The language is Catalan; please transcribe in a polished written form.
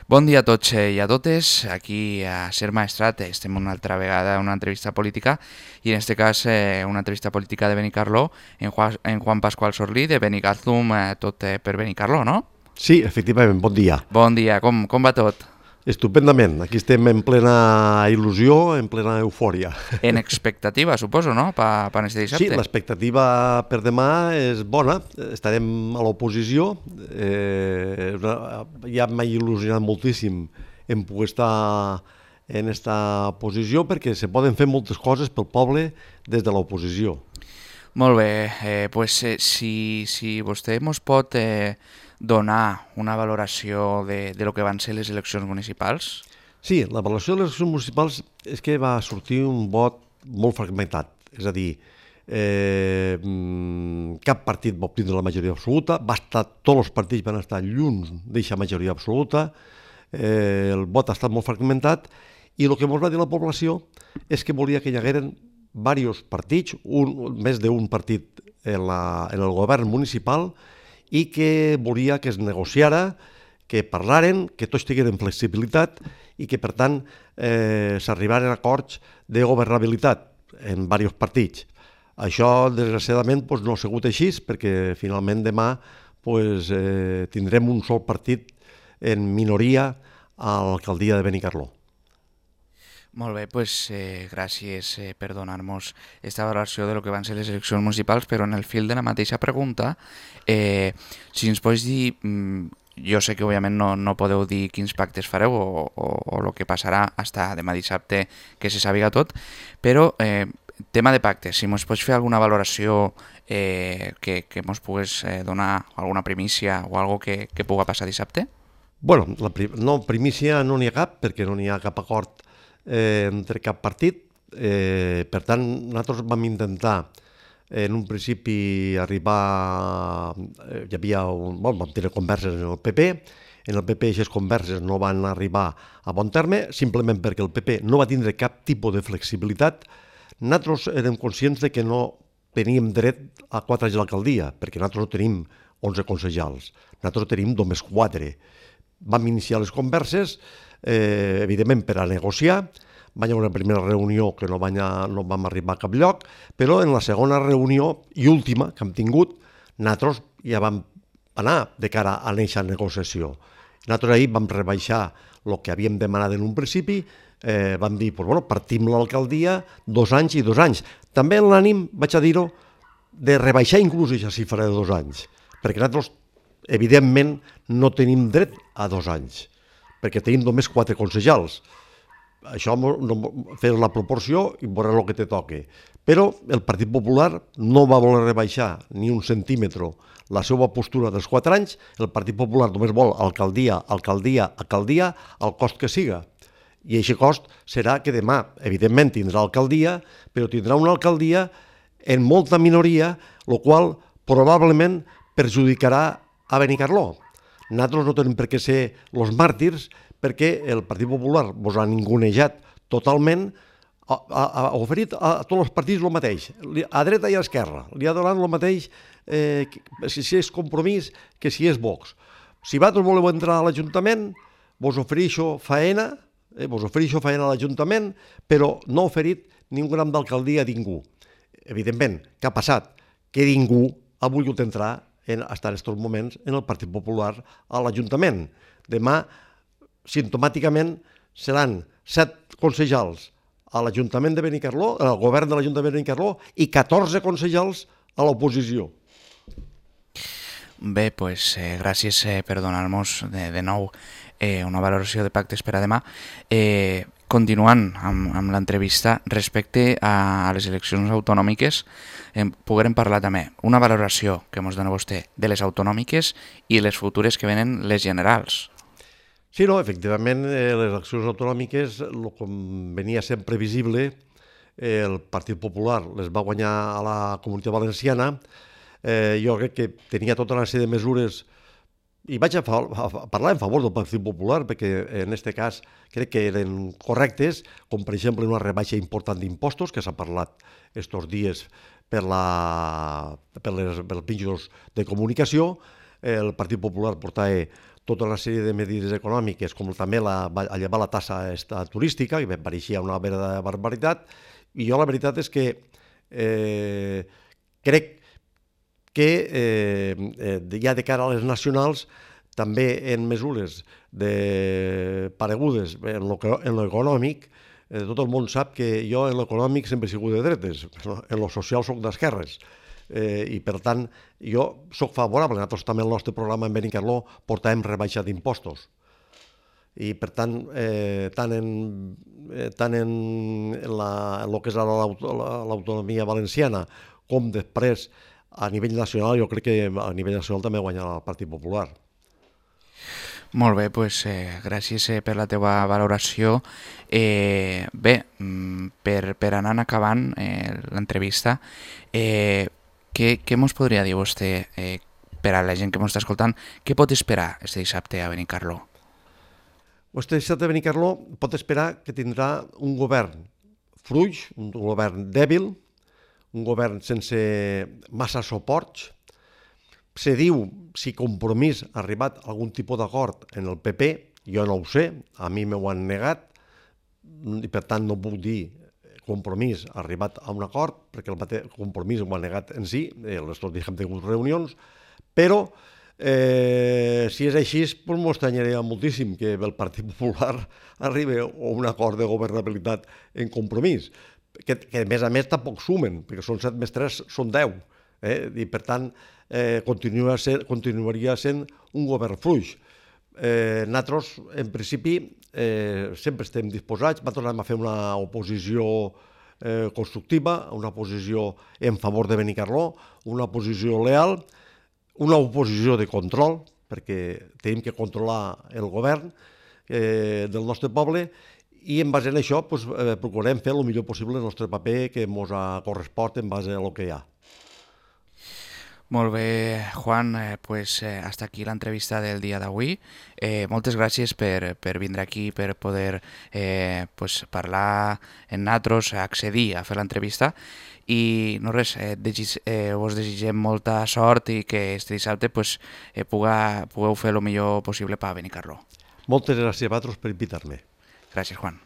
Bon dia a tots i a totes. Aquí a Ser Maestrat estem una altra vegada en una entrevista política i en este cas una entrevista política de Benicarló en Juan Pascual Sorlí de Benicàssim, tot per Benicarló, no? Sí, efectivament, bon dia. Bon dia, com va tot? Estupendament, aquí estem en plena il·lusió, en plena eufòria. En expectativa, suposo, no?, per este dissabte. Sí, l'expectativa per demà és bona, estarem a l'oposició, ja m'ha il·lusionat moltíssim en poder estar en aquesta posició perquè se poden fer moltes coses pel poble des de l'oposició. Molt bé, si vostè ens pot donar una valoració de lo que van ser les eleccions municipals? Sí, la valoració de les eleccions municipals és que va sortir un vot molt fragmentat, és a dir, cap partit va obtenir la majoria absoluta, tots els partits van estar lluny d'aquesta majoria absoluta, el vot ha estat molt fragmentat i el que ens va dir la població és que volia que hi hagueren diversos partits, més d'un partit en el govern municipal, i que volia que es negociara, que parlaren, que tots tingueren flexibilitat i que, per tant, s'arribaren a acords de governabilitat en diversos partits. Això, desgraciadament, no ha sigut així, perquè finalment demà tindrem un sol partit en minoria a l'alcaldia de Benicarló. Molt bé, gràcies per donar-nos aquesta valoració de lo que van ser les eleccions municipals, però en el fil de la mateixa pregunta, si ens pots dir, jo sé que òbviament no podeu dir quins pactes fareu o el que passarà fins demà dissabte que se sàpiga tot, però tema de pactes, si ens pots fer alguna valoració que ens pogués donar alguna primícia o alguna cosa que pugui passar dissabte? Bueno, primícia no n'hi ha cap, perquè no n'hi ha cap acord entre cap partit. Per tant, nosaltres vam intentar en un principi arribar, vam tenir converses en el PP, en el PP aquestes converses no van arribar a bon terme, simplement perquè el PP no va tindre cap tipus de flexibilitat. Nosaltres érem conscients de que no teníem dret a 4 anys a l'alcaldia, perquè nosaltres no tenim 11 consellals, nosaltres tenim només 4. Vam iniciar les converses, evidentment per a negociar, va haver una primera reunió que no vam arribar a cap lloc, però en la segona reunió i última que hem tingut, nosaltres ja vam anar de cara a aquesta negociació. Nosaltres ahir vam rebaixar el que havíem demanat en un principi, vam dir, partim l'alcaldia 2 anys i 2 anys. També en l'ànim, vaig a dir-ho, de rebaixar inclús aquesta xifra de 2 anys, perquè nosaltres, evidentment, no tenim dret a 2 anys, perquè tenim només 4 consellals. Això, fer la proporció i veure el que te toque. Però el Partit Popular no va voler rebaixar ni un centímetre la seva postura dels 4 anys. El Partit Popular només vol alcaldia, alcaldia, alcaldia, al cost que siga. I aquest cost serà que demà, evidentment, tindrà alcaldia, però tindrà una alcaldia en molta minoria, el qual probablement perjudicarà a Benicarló. Nosaltres no tenim per què ser els màrtirs, perquè el Partit Popular ens ha ningunejat totalment, ha oferit a tots els partits el mateix, a dreta i a esquerra, li ha donat el mateix si és Compromís que si és Vox. Si vosaltres voleu entrar a l'Ajuntament, vos ofereixo faena a l'Ajuntament, però no ha oferit ni un gram d'alcaldia a ningú. Evidentment, què ha passat? Que ningú ha volgut entrar en aquests moments en el Partit Popular a l'Ajuntament. Demà, simptomàticament, seran 7 consellals a l'Ajuntament de Benicarló, al govern de l'Ajuntament de Benicarló, i 14 consellals a l'oposició. Bé, gràcies per donar-nos de nou una valoració de pactes per a demà. Continuant amb l'entrevista, respecte a les eleccions autonòmiques, poguérem parlar també una valoració que ens dona vostè de les autonòmiques i les futures que venen les generals. Sí, no, efectivament, les eleccions autonòmiques, com venia sent previsible, el Partit Popular les va guanyar a la Comunitat Valenciana. Jo crec que tenia tota una sèrie de mesures i vaig a parlar en favor del Partit Popular perquè en aquest cas crec que eren correctes, com per exemple una rebaixa important d'impostos que s'ha parlat estos dies per els mitjans de comunicació. El Partit Popular portava tota una sèrie de mesures econòmiques, com també llevar la tassa turística, que pareixia una vera barbaritat, i jo la veritat és que crec que ja de cara a les nacionals, també en mesures paregudes en l'econòmic, tot el món sap que jo en l'econòmic sempre he sigut de dretes, en lo social soc d'esquerres, i per tant jo soc favorable. Nosaltres també el nostre programa en Benicarló portàvem rebaixa d'impostos, i per tant tant en el que és l'autonomia valenciana com després a nivell nacional, jo crec que a nivell nacional també guanyarà el Partit Popular. Molt bé, doncs gràcies per la teva valoració. Bé, per anar acabant l'entrevista, què mos podria dir vostè per a la gent que mos està escoltant? Què pot esperar este dissabte a Benicarló? Este dissabte a Benicarló pot esperar que tindrà un govern fluix, un govern dèbil, un govern sense massa suports. Se diu si Compromís ha arribat a algun tipus d'acord en el PP, jo no ho sé, a mi m'ho han negat, i per tant no puc dir Compromís ha arribat a un acord, perquè el Compromís ho ha negat en si, les tot hem tingut reunions, però si és així, doncs m'estranyaria moltíssim que el Partit Popular arribi a un acord de governabilitat en Compromís, que a més tampoc sumen, perquè són 7 més 3 són 10, i per tant continuaria sent un govern fluix. Nosaltres, en principi, sempre estem disposats, tornem a fer una oposició constructiva, una oposició en favor de Benicarló, una oposició leal, una oposició de control, perquè tenim que controlar el govern del nostre poble, i en base a això procurem fer el millor possible el nostre paper que ens correspon en base a el que hi ha. Molt bé, Juan, pues hasta aquí l'entrevista del dia d'avui. Moltes gràcies per vindre aquí, per poder parlar en nosaltres, accedir a fer l'entrevista. I no res, us desitgem molta sort i que este dissabte pugueu fer el millor possible per Benicarló. Moltes gràcies a vosaltres per invitar-me. Gràcies, Juan.